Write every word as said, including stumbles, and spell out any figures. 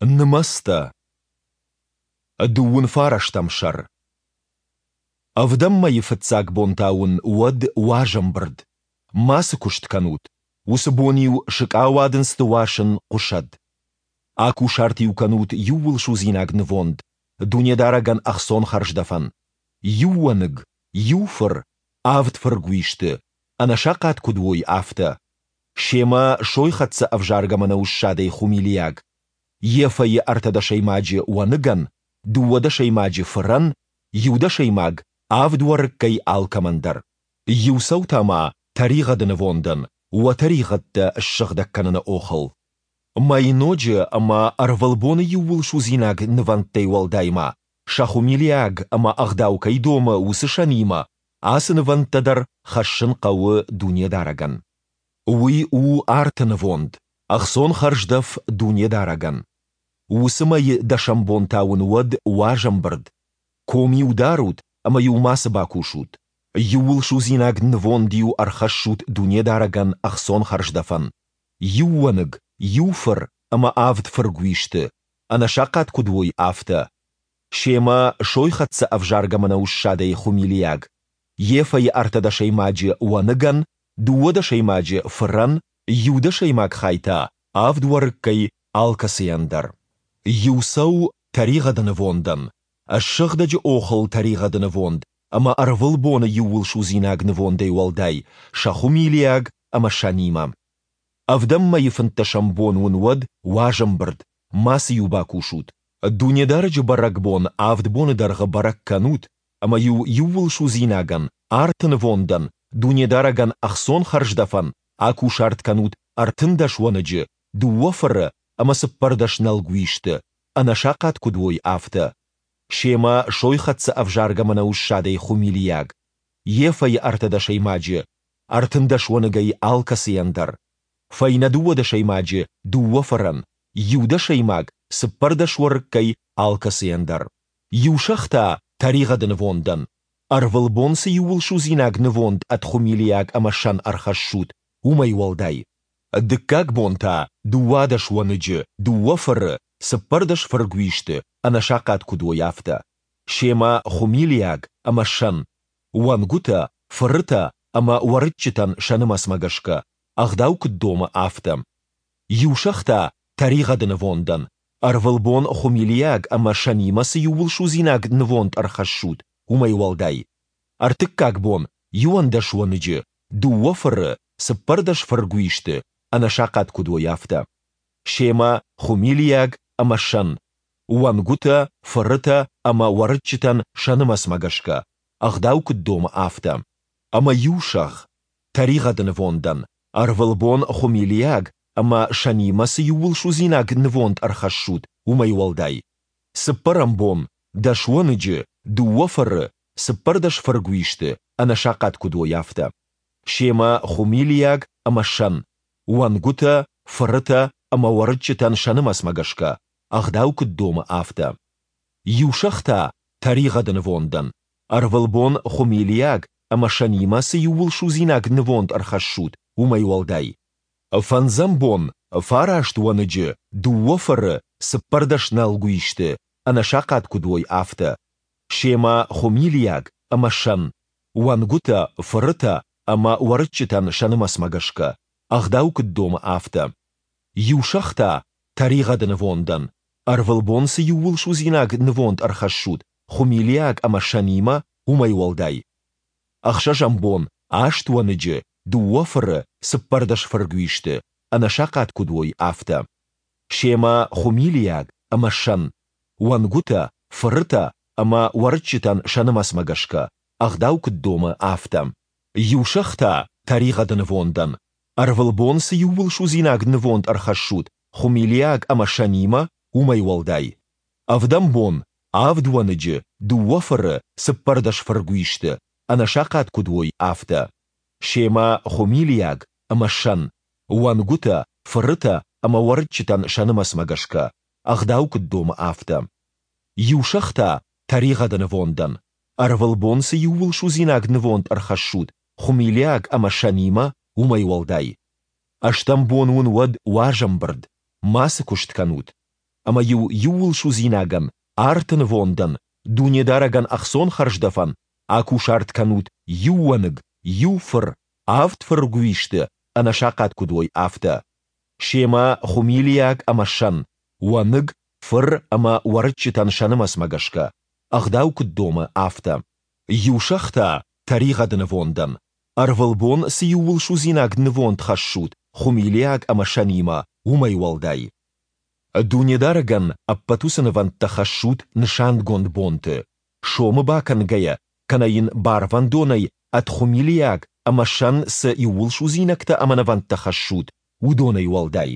Нымӕцтӕ. Дыууын фарӕстӕм сӕр. Ӕвдӕм мӕйы фыццаг бон та уын уӕд уаз ӕмбырд. Мацы куыст кӕнут. Уыцы бон-иу сыкъауадындзты уасын хъуысӕд. Акусарт-иу кӕнут иууылсудзинаг нывонд, Дунедарӕгӕн ӕхцон хӕрздӕфӕн, иу уӕныг, иу фыр, авд фыргуисты, ӕнӕсахъат куыд уой, афтӕ. Семӕ сойхӕццӕ ӕвзаргӕ мӕнӕуы ссадӕй хуымилиаг, ефӕйы ӕртӕдӕсӕймаджы уӕныгӕн, дыууӕ дӕсӕймаджы фырӕн, иу дӕсӕймаг авд уӕрыккӕй алкӕмӕн дӕр. Иу цӕу та ма тӕригъӕды нывондӕн, уӕ тӕригъӕдтӕ ссыгъдӕг кӕныны охыл. Мӕйноджы ӕмӕ ӕрвылбоны иууылсудзинаг нывӕндтӕй уӕлдай ма, сӕ хуымилиаг ӕмӕ ӕгъдау кӕй домы, уыцы сӕнимӕ ацы нывӕндтӕ дӕр хӕссын хъӕуы Дунедарӕгӕн. Уый у арты нывонд, ӕхцон хӕрздӕф Дунедарӕгӕн. Уыцы мӕйы дӕсӕм бон та уын уӕд уаз ӕмбырд. Ком-иу дарут ӕмӕ-иу мацы бакусут. Иууылсудзинаг нывонд-иу ӕрхӕссут Дунедарӕгӕн ӕхцон хӕрздӕфӕн, иу уӕныг, иу фыр ӕмӕ авд фыргуисты, ӕнӕсахъат куыд уой, афтӕ. Семӕ сойхӕццӕ ӕвзаргӕ мӕнӕуы ссадӕй хуымилиаг, ефӕйы ӕртӕдӕсӕймаджы уӕныгӕн, дыууӕ дӕсӕймаджы фырӕн, иу дӕсӕймаг хай та авд уӕрыккӕй алкӕцыйӕн дӕр. Иу цӕу тӕригъӕды нывондӕн, ссыгъдӕджы охыл тӕригъӕды нывонд ӕмӕ ӕрвылбоны иууылсудзинаг нывондӕй уӕлдай, сӕ хуымилиаг ӕмӕ сӕнимӕ. Ӕвдӕм мӕйы фынддӕсӕм бон уын уӕд уаз ӕмбырд, мацы-иу бакусут. Дунедарӕджы бӕрӕгбон авд боны дӕргъы бӕрӕг кӕнут, ӕмӕ-иу иууылсудзинагӕн, арты нывондӕн, Дунедарӕгӕн ӕхцон хӕрздӕфӕн акусарт кӕнут ӕртындӕс уӕныджы, дыууӕ фыры ӕмӕ цыппӕрдӕс нӕлгуисты, ӕнӕсахъат куыд уой, афтӕ. Семӕ сойхӕццӕ ӕвзаргӕ мӕнӕуы ссадӕй хуымилиаг, ефӕйы ӕртӕдӕсӕймаджы, ӕртындӕс уӕныгӕй алкӕцыйӕн дӕр, фӕйнӕ дыууадӕсӕймаджы дыууӕ фырӕн, иу дӕсӕймаг цыппӕрдӕс уӕрыккӕй алкӕцыйӕн дӕр. Иу сӕгъ та тӕригъӕды нывондӕн, ӕрвылбон цы иууылсудзинаг нывонд ӕд хуымилиаг ӕмӕ сӕн ӕрхӕссут, уымӕй уӕлдай. Дыккаг бон та дыууадӕс уӕныджы, дыууӕ фыры, цыппӕрдӕс фыргуисты, ӕнӕсахъат куыд уой, афтӕ. Семӕ хуымилиаг ӕмӕ сӕн, уӕнгуытӕ, фырытӕ ӕмӕ уӕрыччытӕн сӕ нымӕцмӕ гӕсгӕ, ӕгъдау куыд домы, афтӕ. Иу сӕгъ та тӕригъӕды нывондӕн, ӕрвылбон хуымилиаг ӕмӕ сӕнимӕ цы иууылсудзинаг нывонд ӕрхӕссут, уымӕй уӕлдай. Ӕртыккаг бон иуӕндӕс уӕныджы, дыууӕ фыры, цыппӕрдӕс фыргуисты, ӕнӕсахъат куыд уой, афтӕ. Семӕ хуымилиаг ӕмӕ сӕн, уӕнгуытӕ, фырытӕ ӕмӕ уӕрыччытӕн сӕ нымӕцмӕ гӕсгӕ, ӕгъдау куыд домы, афтӕ. Ӕмӕ иу сӕгъ, тӕригъӕды нывондӕн, ӕрвылбон хуымилиаг ӕмӕ сӕнимӕ цы иууылсудзинаг нывонд ӕрхӕссут, уымӕй уӕлдай. Цыппӕрӕм бон дӕс уӕныджы, дыууӕ фыры, цыппӕрдӕс фыргуисты, ӕнӕсахъат куыд уой, афтӕ. Семӕ хуымилиаг ӕмӕ сӕн, уӕнгуытӕ, фырытӕ ӕмӕ уӕрыччытӕн сӕ нымӕцмӕ гӕсгӕ, ӕгъдау куыд домы, афтӕ. Иу сӕгъ та тӕригъӕды нывондӕн, ӕрвылбон хуымилиаг ӕмӕ сӕнимӕ цы иууылсудзинаг нывонд ӕрхӕссут, уымӕй уӕлдай. Фӕндзӕм бон фараст уӕныджы, дыууӕ фыры, цыппӕрдӕс нӕлгуисты, ӕнӕсахъат куыд уой, афтӕ. Семӕ хуымилиаг ӕмӕ сӕн, уӕнгуытӕ, фырытӕ ӕмӕ уӕрыччытӕн сӕ нымӕцмӕ гӕсгӕ, ӕгъдау куыд домы, афтӕ. Иу сӕгъ та тӕригъӕды нывондӕн, ӕрвылбон цы иууылсудзинаг нывонд ӕрхӕссут хуымилиаг ӕмӕ сӕнимӕ, уымӕй уӕлдай. Ӕхсӕзӕм бон аст уӕныджы, дыууӕ фыры, цыппӕрдӕс фыргуисты, ӕнӕсахъат куыд уой, афтӕ. Семӕ хуымилиаг ӕмӕ сӕн, уӕнгуытӕ, фырытӕ ӕмӕ уӕрыччытӕн сӕ нымӕцмӕ гӕсгӕ, ӕгъдау куыд домы, афтӕ. Иу сӕгъ та тӕригъӕды нывондӕн, ӕрвылбон цы иууылсудзинаг нывонд ӕрхӕссут хуымилиаг ӕмӕ сӕнимӕ, уымӕй уӕлдай. Ӕвдӕм бон авд уӕныджы, дыууӕ фыры, цыппӕрдӕс фыргуисты, ӕнӕсахъат куыд уой, афтӕ. Семӕ хуымилиаг ӕмӕ сӕн, уӕнгуытӕ, фырытӕ ӕмӕ уӕрыччытӕн сӕ нымӕцмӕ гӕсгӕ, ӕгъдау куыд домы, афтӕ. Иу сӕгъ та тӕригъӕды нывондӕн, ӕрвылбон цы иууылсудзинаг нывонд ӕрхӕссут хуымилиаг ӕмӕ сӕнимӕ, уымӕй уӕлдай. Ӕстӕм бон уын уӕд уаз ӕмбырд, мацы куыст кӕнут. Ӕмӕ-иу иууылсудзинагӕн, арты нывондӕн, Дунедарӕгӕн ӕхцон хӕрздӕфӕн, акусарт кӕнут иу уӕныг, иу фыр, авд фыргуисты, ӕнӕсахъат куыд уой, афтӕ. Семӕ хуымилиаг ӕмӕ сӕн, уӕныг, фыр ӕмӕ уӕрыччытӕн сӕ нымӕцмӕ гӕсгӕ, ӕгъдау куыд домы, афтӕ. Иу сӕгъ та тӕригъӕды нывондӕн, ӕрвылбон цы иууылсудзинаг нывонд хӕссут хуымилиаг ӕмӕ сӕнимӕ, уымӕй уӕлдай. Дунедарӕгӕн ӕппӕт уыцы нывӕндтӕ хӕссут нысангонд бонты, сомы бакӕнгӕйӕ кӕнӕ йын барвӕндонӕй ӕд хуымилиаг ӕмӕ сӕн цы иууылсудзинӕгтӕ ӕмӕ нывӕндтӕ хӕссут, уыдонӕй уӕлдай.